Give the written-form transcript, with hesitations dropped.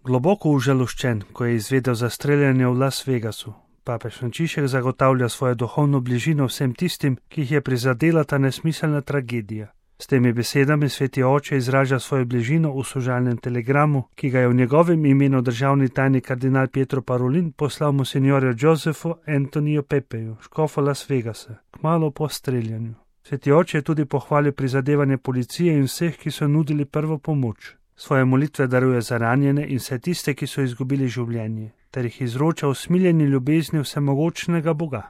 Globoko užaloščen, ko je izvedel za streljanje v Las Vegasu, papež Frančišek zagotavlja svojo duhovno bližino vsem tistim, ki jih je prizadela ta nesmiselna tragedija. S temi besedami sveti oče izraža svojo bližino v sožalnem telegramu, ki ga je v njegovem imenu državni tajnik kardinal Pietro Parolin poslal monsignorju Josefu Antoniju Pepeju, škofu Las Vegasa, kmalu po streljanju. Sveti oče je tudi pohvalil prizadevanje policije in vseh, ki so nudili prvo pomoč. Svoje molitve daruje za ranjene in vse tiste, ki so izgubili življenje, ter jih izroča v smiljeni ljubezni vsemogočnega Boga.